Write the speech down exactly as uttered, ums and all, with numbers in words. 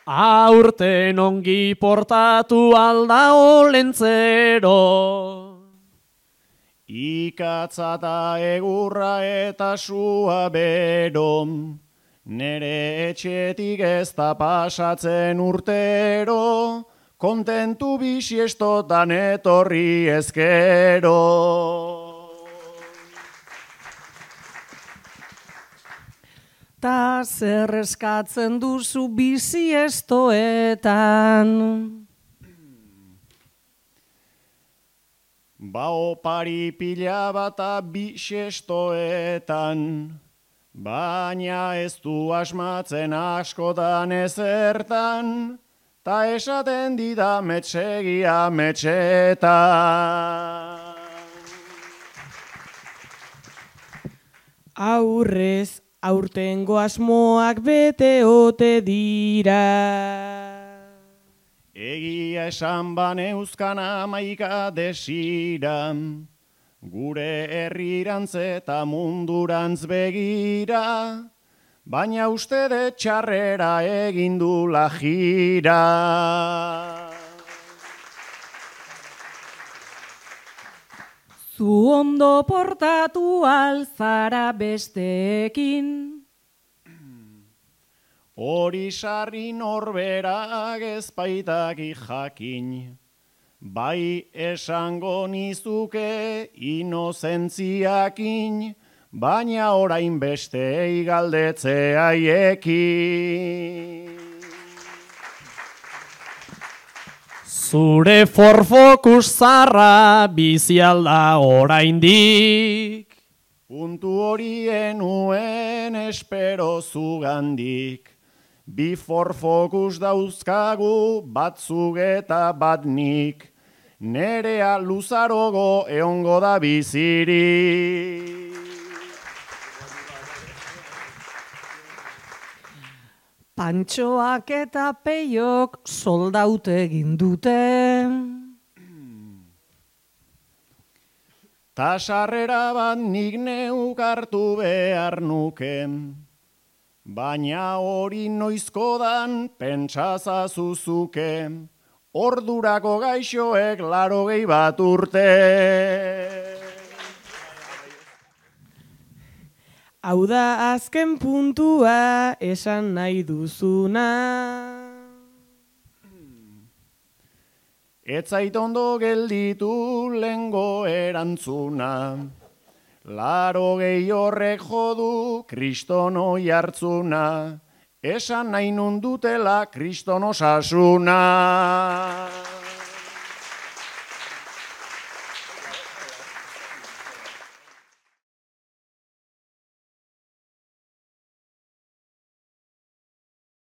Aurten ongi portatu alda olentzero. Ikatza eta egurra eta sua bero, nere etxetik ez da pasatzen urtero, kontentu bisiestotan etorri ezkero. Ta zer eskatzen duzu bisiestoetan? Ba opari pila bata bisiestoetan, baina ez du asmatzen askotan ezertan, ta esaten dida metsegia metxetan. Aurrez, aurtengo asmoak bete ote dira. Egia esan baneuzkan amaika desira, gure herrirantz eta mundurantz begira, baina uste de txarrera egindula jira. Zu ondo portatu alzara besteekin. Hori sarri norberak ezpaitaki jakin, bai esango nizuke inozentziakin, baina orain bestei galdetze haiekin. Zure forfokus zarra bizi alda oraindik. Puntu horien uen espero zugandik. Bi forfokus dauzkagu, bat zug eta bat nik, nerea luzarogo eongo da bizirik. Pantxoak eta peiok soldaut egin dute. Ta sarrera bat nik neuk hartu behar nuke, baina hori noizko dan pentsazazuzuke, ordurako gaixoek larogei bat urte. Hau da azken puntua esan nahi duzuna. Ez zait ondo gelditu lengo erantzuna, larogei horrek jodu kriston oihartzuna, esan nahi nundutela kriston osasuna.